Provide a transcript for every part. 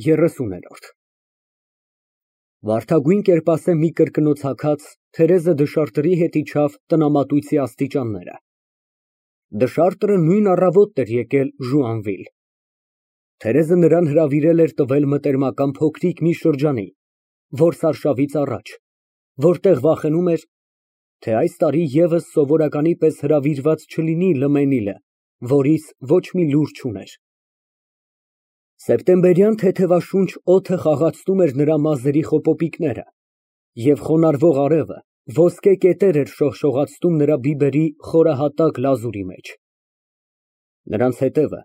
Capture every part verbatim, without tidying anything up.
ԵՐՐՈՐԴ Վարդագույն կերպասե մի կրկնոց հագած, Թերեզը դշարտրի հետ իջավ տնամատույցի աստիճանները։ Դշարտրը նույն առավոտն էր եկել Ժուանվիլ։ Թերեզը նրան հրավիրել էր տվել մտերմական փոքրիկ մի շրջանի, որսարշավից առաջ, որտեղ վախենում էր, թե այս տարի ևս սովորականի պես հրավիրված չլինի Լմենիլը, որից ոչ մի լուր չուներ։ Սեպտեմբերյան թեթևաշունչ օդը խաղացնում էր նրա մազերի խոպոպիկները, և խոնարհվող արևը ոսկե կետեր էր շողշողացնում նրա բիբերի խորահատակ լազուրի մեջ։ Նրանց ետևը,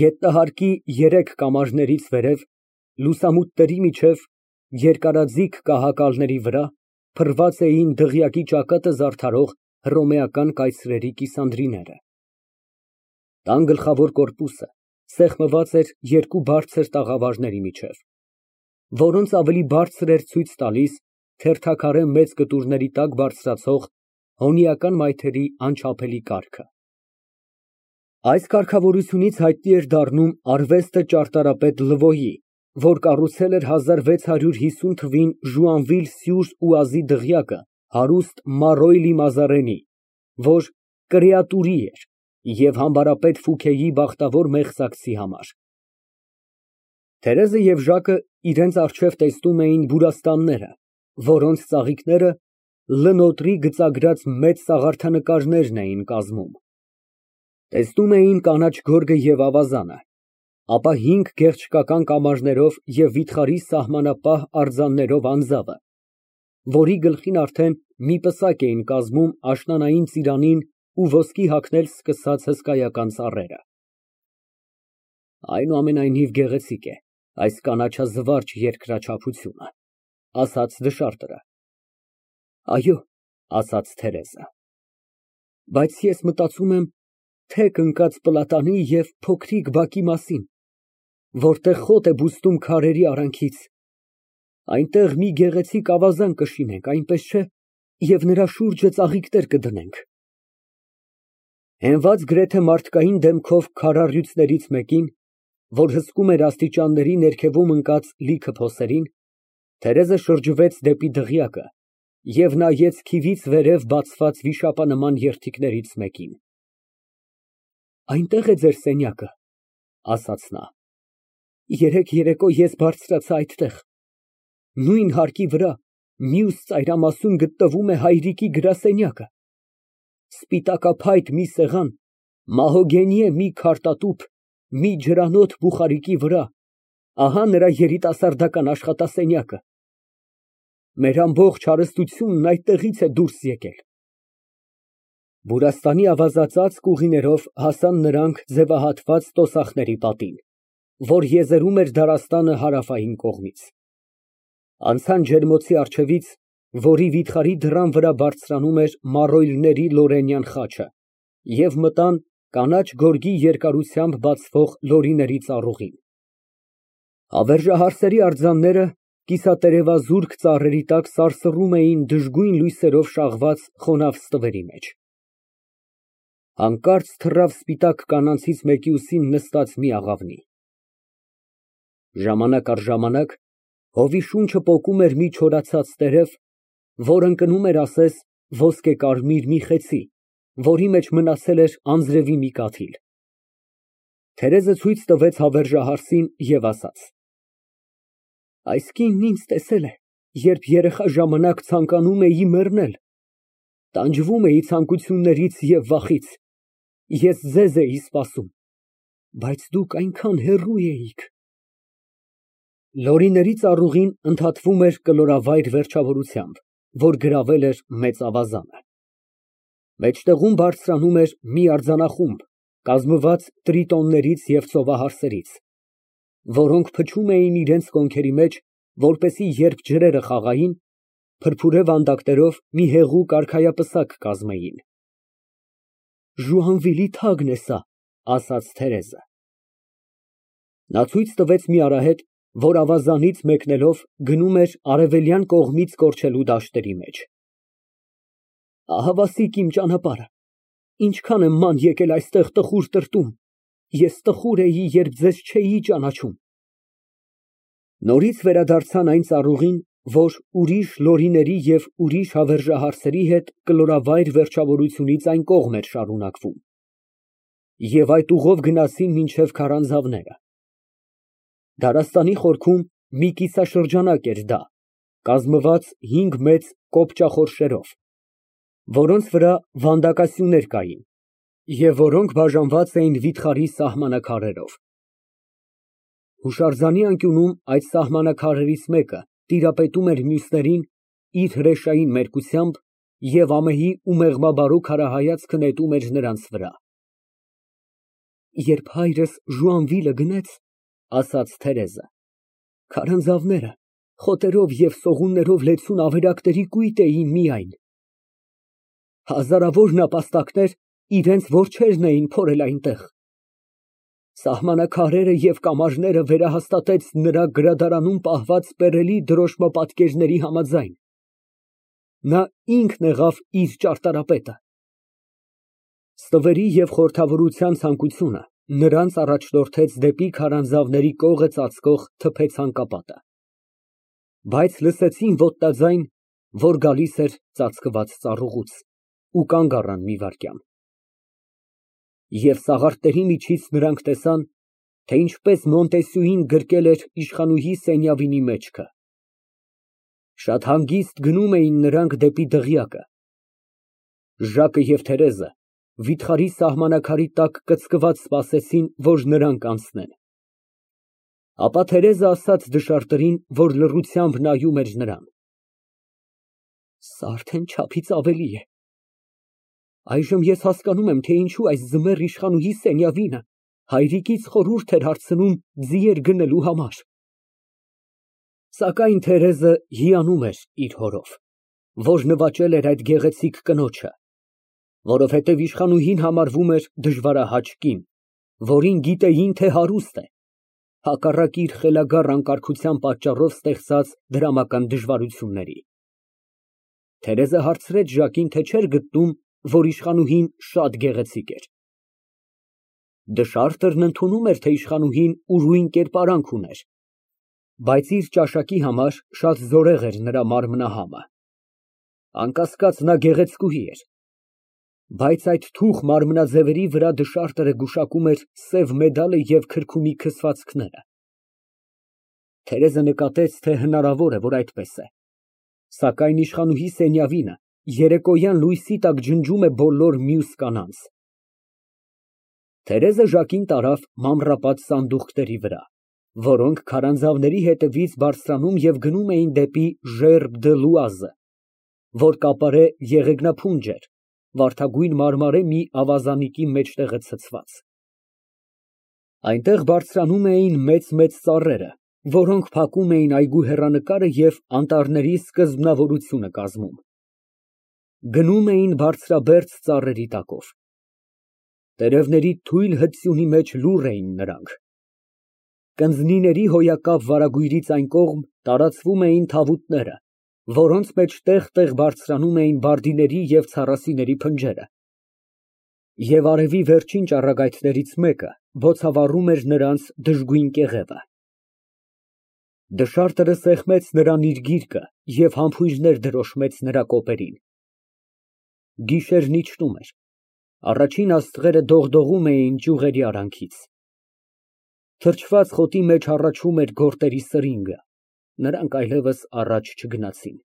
գետնահարկի երեք կամարներից վերև, լուսամուտների միջև, երկարաձիգ կահակալների վրա փռված էին դղյակի ճակատը զարդարող հռոմեական կայծրերի կիսանդրիները։ Տան գլխավոր կորպուսը սեղմված էր երկու բարձր տաղավարների միջև, որոնց ավելի բարձր էր ցույց տալիս թերթաքարե մեծ կտուրների տակ բարձրացող հոնիական մայթերի անչափելի կառքը։ Այս կարգավորությունից հայտնի էր դառնում արվեստը ճարտարապետ Լվոյի, որ կառուցել էր հազար վեց հարյուր հիսուն թվականին Ժուանվիլ֊սյուր Օազի դղյակը հարուստ Մարոյլի Մազարենի, որ կրեատուրի էր և համբարապետ Ֆուքեի բախտավոր մեղսակցի համար։ Թերեզը և Ժակը իրենց առջև տեսնում էին բուրաստանները, որոնց ծաղիկները լնոտրի գծագրած մեծ սաղարթանկարներն էին կազմում։ Տեսնում էին կանաչ գորգը և ավազանը, ապա հինգ գեղչկական կամարներով և վիթխարի սահմանապահ արձաններով անձավը, որի գլխին արդեն մի պսակ էին կազմում աշնանային ծիրանին ու ոսկի հագնել սկսած հսկայական ծառերը։ Այնուամենայնիվ գեղեցիկ է այս կանաչազվարճ երկրաչափությունը, ասաց դշարտրը։ Այո, ասաց Թերեզը, բայց ես մտածում եմ թեք ընկած պլատանի և փոքրիկ բակի մասին, որտեղ խոտ է բուստում քարերի արանքից, այնտեղ մի գեղեցիկ ավազան կշինենք, այնպես չէ՞, և նրա շուրջը ծաղիկներ կդնենք։ Հենված գրեթե մարդկային դեմքով քարառյուծներից մեկին, որ հսկում էր աստիճանների ներքևում ընկած լիքը փոսերին, Թերեզը շրջվեց դեպի դղյակը և նայեց քիվից վերև բացված վիշապանման երդիքներից մեկին։ Այնտեղ է ձեր սենյակը, ասաց նա։ Երեկ երեկո ես բարձրացա այդտեղ։ Նույն հարկի վրա, մյուս ծայրամասում գտնվում է հայրիկի գրասենյակը։ Սպիտակափայտ մի սեղան, մահոգենիե մի քարտատուփ, մի ջրանոթ բուխարիկի վրա, ահա նրա երիտասարդական աշխատասենյակը։ Մեր ամբողջ հարստությունն այդտեղից է դուրս եկել։ Բուրաստանի ավազածածկ ուղիներով հասան նրանք ձևահատված տոսախների պատին, որ եզերում էր դարաստանը հարավային կողմից։ Անցան ջերմոցի առջևից, որի վիթխարի դռան վրա բարձրանում էր Մարոյլների Լորենյան խաչը, և մտան կանաչ գորգի երկարությամբ բացվող լորիների ծառուղին։ Հավերժահարսերի արձանները կիսատերևազուրկ ծառերի տակ սարսռում էին դժգույն լույսերով շաղված խոնավ ստվերի մեջ։ Հանկարծ թռավ սպիտակ կանանցից մեկի ուսին նստած մի աղավնի։ Ժամանակ առ ժամանակ հովի շունչը պոկում էր մի չորացած տերև, որ ընկնում էր ասես ոսկեկարմիր մի խեցի, որի մեջ մնացել էր անձրևի մի կաթիլ։ Թերեզը ցույց տվեց հավերժահարսին և ասաց. Այս կինն ինձ տեսել է, երբ երեխա ժամանակ ցանկանում էի մեռնել, տանջվում էի ցանկություններից և վախից, ես ձեզ էի սպասում, բայց դուք այնքան հեռու էիք։ Լորիների ծառուղին ընդհատվում էր կլորավայր վերջավորությամբ, որ գրավել էր մեծ ավազանը։ Մեջտեղում բարձրանում էր մի արձանախումբ, կազմված տրիտոններից և ծովահարսերից, որոնք փչում էին իրենց կոնքերի մեջ, որպեսզի երբ ջրերը խաղային, փրփուրե վանդակներով մի հեղուկ արքայապսակ կազմեին։ Ժուանվիլի թագն է սա, ասաց Թերեզը։ Նա ցույց տվեց մի արահետ, որ ավազանից մեկնելով գնում էր արևելյան կողմից կորչելու դաշտերի մեջ։ Ահավասիկ իմ ճանապարհը, ինչքան եմ ման եկել այստեղ տխուր տրտում, ես տխուր էի, երբ ձեզ չէի ճանաչում։ Նորից վերադարձան այն ծառուղին, որ ուրիշ լորիների և ուրիշ հավերժահարսերի հետ կլորավայր վերջավորությունից այն կողմ էր շարունակվում, և այդ ուղով գնացին մինչև քարանձավները։ Դարասանի խորքում մի կիսաշրջանակ էր դա, կազմված հինգ մեծ կոպճախորշերով, որոնց վրա վանդակասյուներ կային և որոնք բաժանված էին վիթխարի սահմանաքարերով։ Հուշարձանի անկյունում այդ սահմանաքարերից մեկը տիրապետում էր մյուսներին իր հրեշային մերկությամբ և ամեի ու մեղմաբարո քարահայացքը նետում էր նրանց վրա։ Երբ հայրս Ժուանվիլը գնեց, ասաց Թերեզը, քարանձավները խոտերով և սողուններով լեցուն ավերակների կույտ էին միայն։ Հազարավոր նապաստակներ իրենց որջերն էին փորել այնտեղ։ Սահմանաքարերը և կամարները վերահաստատեց նրա գրադարանում պահված պերելի դրոշմապատկերների համաձայն։ Նա ինքն եղավ իր ճարտարապետը։ Ստվերի և խորհրդավորության ցանկությունը նրանց առաջնորդեց դեպի քարանձավների կողը ծածկող թփե ցանկապատը, բայց լսեցին ոտնաձայն, որ գալիս էր ծածկված ծառուղուց, ու կանգ առան մի վայրկյան։ Եվ սաղարթների միջից նրանք տեսան, թե ինչպես Մոնտեսյուին գրկել էր իշխանուհի Սենյավինի մեջքը։ Շատ հանգիստ գնում էին նրանք դեպի դղյակը։ Ժակը և Թերեզը վիթխարի սահմանաքարի տակ կծկված սպասեցին, որ նրանք անցնեն։ Ապա Թերեզը ասաց դշարտերին, որ լռությամբ նայում էր նրան. Սա արդեն չափից ավելի է։ Այժմ ես հասկանում եմ, թե ինչու այս ձմեռ իշխանուհի Սենյավինը հայրիկից խորհուրդ էր հարցնում ձիեր գնելու համար։ Սակայն Թերեզը հիանում էր իր հորով, որ նվաճել էր այդ գեղեցիկ կնոջը, որովհետև իշխանուհին համարվում էր դժվարահաճ կին, որին գիտեին, թե հարուստ է, հակառակ իր խելագար անկարգության պատճառով ստեղծած դրամական դժվարությունների։ Թերեզը հարցրեց Ժակին, թե չէր գտնում, որ իշխանուհին շատ գեղեցիկ էր։ Դշարտերն ընդունում էր, թե իշխանուհին ուրույն կերպարանք ուներ, բայց իր ճաշակի համար շատ զորեղ էր նրա մարմնահամը։ Անկասկած, նա գեղեցկուհի էր, բայց այդ թուխ մարմնաձևերի վրա դշարտերը գուշակում էր սև մեդալը և քրքումի քսվածքները։ Թերեզը նկատեց, թե հնարավոր է, որ այդպես է, սակայն իշխանուհի Սենյավինը երեկոյան լույսի տակ ջնջում է բոլոր մյուս կանանց։ Թերեզը Ժակին տարավ մանրապատ սանդուղքների վրա, որոնք քարանձավների հետևից բարձրանում և գնում էին դեպի Ժերբ դը Լուազը, որ կապարե եղեգնափունջ էր, վարդագույն մարմարե մի ավազանիկի մեջտեղը ցցված։ Այնտեղ բարձրանում էին մեծ֊մեծ ծառերը, որոնք փակում էին այգու հեռանկարը և անտառների սկզբնավորությունը կազմում։ Գնում էին բարձրաբերձ ծառերի տակով։ Տերևների թույլ հծյունի մեջ լուռ էին նրանք։ Կնձնիների հոյակապ վարագույրից այն կողմ տարածվում էին թավուտները, որոնց մեջ տեղ֊տեղ բարձրանում էին բարդիների և ցառասիների փնջերը, և արևի վերջին ճառագայթներից մեկը բոցավառում էր նրանց դժգույն կեղևը։ Դշարտերը սեղմեց նրան իր գիրկը և համբույրներ դրոշմեց նրա կոպերին։ Գիշերն իջնում էր, առաջին աստղերը դողդողում էին ճյուղերի արանքից։ Թրջված խոտի մեջ հառաչում էր գորտերի սրինգը, նրանք այլևս առաջ չգնացին։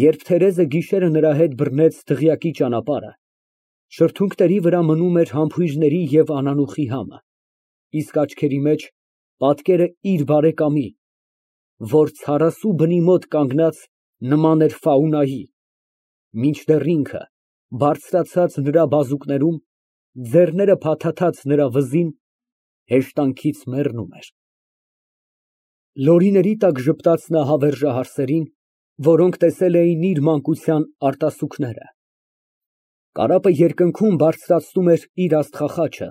Երբ Թերեզը գիշերը նրա հետ բռնեց դղյակի ճանապարհը, շրթունքների վրա մնում էր համբույրների և անանուխի համը, իսկ աչքերի մեջ պատկերը իր բարեկամի, որ ցարասու բնի մոտ կանգնած նման էր Ֆաունայի, մինչդեռ ինքը, բարձրացած նրա բազուկներում, ձեռները փաթաթած նրա վզին, հեշտանքից մեռնում էր։ Լորիների տակ ժպտաց նա հավերժահարսերին, որոնք տեսել էին իր մանկության արտասուքները։ Կարապը երկնքում բարձրացնում էր իր աստղախաչը,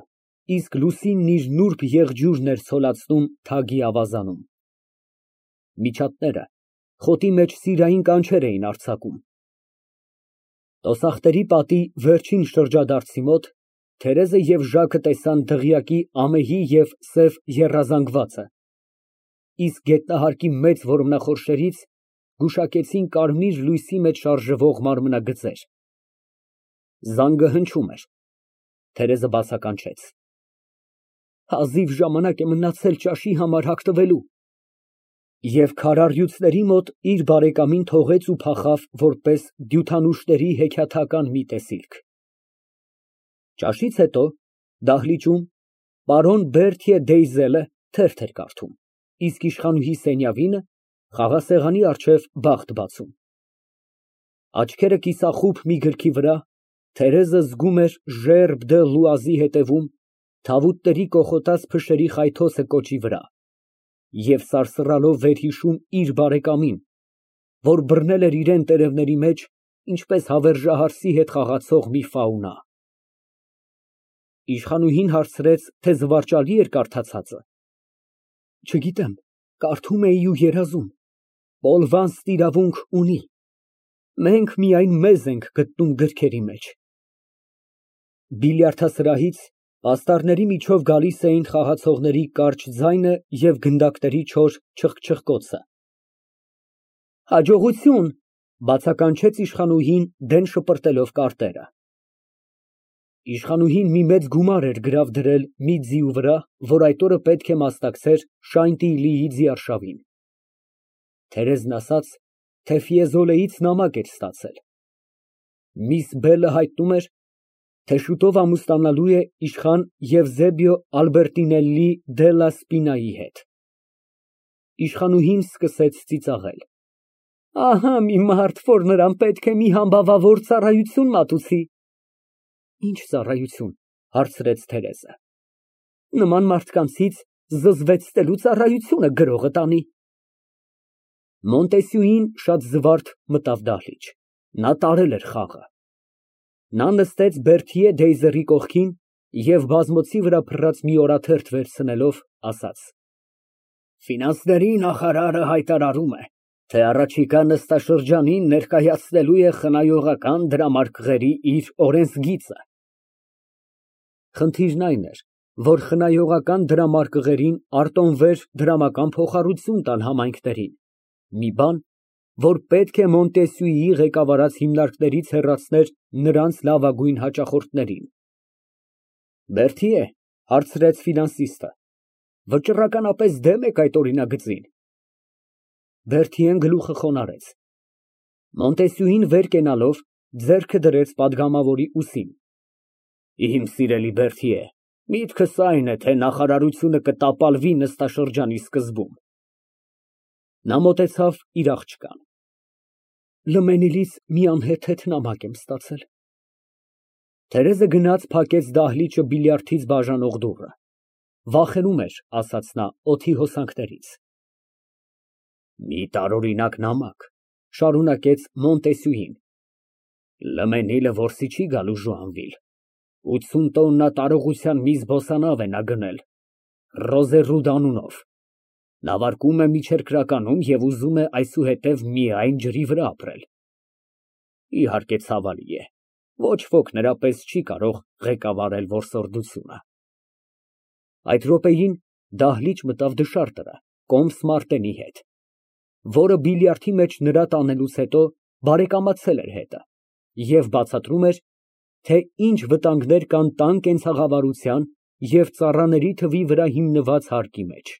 իսկ լուսինն իր նուրբ եղջյուրն էր ցոլացնում թագի ավազանում։ Միջատները խոտի մեջ սիրային կանչեր էին արձակում։ Տոսախտերի պատի վերջին շրջադարձի մոտ Թերեզը և Ժակը տեսան դղյակի ամեհի և սև եռազանգվածը, իսկ գետնահարկի մեծ որմնախորշերից գուշակեցին կարմիր լույսի մեջ շարժվող մարմնագծեր։ Զանգը հնչում էր։ Թերեզը բացականչեց։ Հազիվ ժամանակ է մնացել ճաշի համար հագնվելու։ Եվ քարառյուծների մոտ իր բարեկամին թողեց ու փախավ որպես դյութանուշների հեքիաթական մի տեսիլք։ Ճաշից հետո դահլիճում պարոն Բերտյե Դեյզելը թերթ էր կարդում, իսկ իշխանուհի Սենյավինը խաղասեղանի առջև բախտ բացում։ Աչքերը կիսախուբ մի գրքի վրա, Թերեզը զգում էր Ժերբ դը Լուազի հետևում թավուտների կոխոտած փշերի խայթոցը կոճի վրա և սարսռալով վերհիշում իր բարեկամին, որ բռնել էր իրան տերևների մեջ, ինչպես հավերժահարսի հետ խաղացող մի ֆաունա։ Իշխանուհին հարցրեց, թե զվարճալի էր կարդացածը։ Չգիտեմ, կարդում էի ու երազում, Պոլվանստ իրավունք ունի, մենք միայն մեզ ենք գտնում գրքերի մեջ։ Բիլիարդասրահից պաստառների միջով գալիս էին խաղացողների կարճ ձայնը և գնդակների չոր չխչխկոցը։ Հաջողություն, բացականչեց իշխանուհին դեն շպրտելով կարտերը։ Իշխանուհին մի մեծ գումար էր գրավ դրել մի ձիու վրա, որ այդ օրը պետք է մասնակցեր Շայնտիլիի ձիարշավին։ Թերեզն ասաց, թե Ֆիեզոլեից նամակ էր ստացել։ Միս Բելը հայտնում էր, թե շուտով ամուսնանալու է իշխան Եվզեբիո Ալբերտինելլի դելլա Սպինայի հետ։ Իշխանուհին սկսեց ծիծաղել։ Ահա մի մարդ, որ նրան պետք է մի համբավավոր ծառայություն մատուցի։ Ինչ ծառայություն, հարցրեց Թերեզը։ Նման մարդկանցից զզվեցնելու ծառայությունը գրողը տանի։ Մոնտեսյուին շատ զվարթ մտավ դահլիճ։ Նա տարել էր խաղը։ Նա նստեց Բերտյե Դեյզերի կողքին և բազմոցի վրա փռած մի օրաթերթ վերցնելով, ասաց. Ֆինանսների նախարարը հայտարարում է, թե առաջիկա նստաշրջանին ներկայացնելու է խնայողական դրամարկղերի իր օրենսգիծը։ Խնդիրն այն էր, որ խնայողական դրամարկղերին արտոնվեր դրամական փոխառություն տան համայնքներին, մի բան, որ պետք է Մոնտեսյուիի ղեկավարած հիմնարկներից հեռացներ նրանց լավագույն հաճախորդներին։ Բերտիե, հարցրեց ֆինանսիստը, վճռականապես դեմ եք այդ օրինագծին։ Բերտիեն գլուխը խոնարհեց։ Մոնտեսյուին վեր կենալով ձեռքը դրեց պատգամավորի ուսին։ Իմ սիրելի Բերտիե, միտքս այն է, թե նախարարությունը կտապալվի նստաշրջանի սկզբում։ Նա մոտեցավ իր աղջկան։ Լմենիլից մի անհեթեթ նամակ եմ ստացել։ Թերեզը գնաց փակեց դահլիճը բիլիարդից բաժանող դուռը։ Վախենում էր, ասաց նա, օդի հոսանքներից։ Մի տարօրինակ նամակ, շարունակեց Մոնտեսյուին։ Լմենիլը որսի չի գալու Ժուանվիլ։ ութսուն տոննա տարողության մի զբոսանավ է նա գնել, Ռոզերուդ անունով։ Նավարկում է միջերկրականում և ուզում է այսուհետև միայն ջրի վրա ապրել։ Իհարկե ցավալի է, ոչ ոք նրա պես չի կարող ղեկավարել որսորդությունը։ Այդ րոպեին դահլիճ մտավ դշարտը, կոմս Մարտենի հետ, որը բիլիարդի մեջ նրա տանելուց հետո բարեկամացել էր հետը և բացատրում էր, թե ինչ վտանգներ կան տան կենցաղավարության և ծառաների թվի վրա հիմնված հարկի մեջ։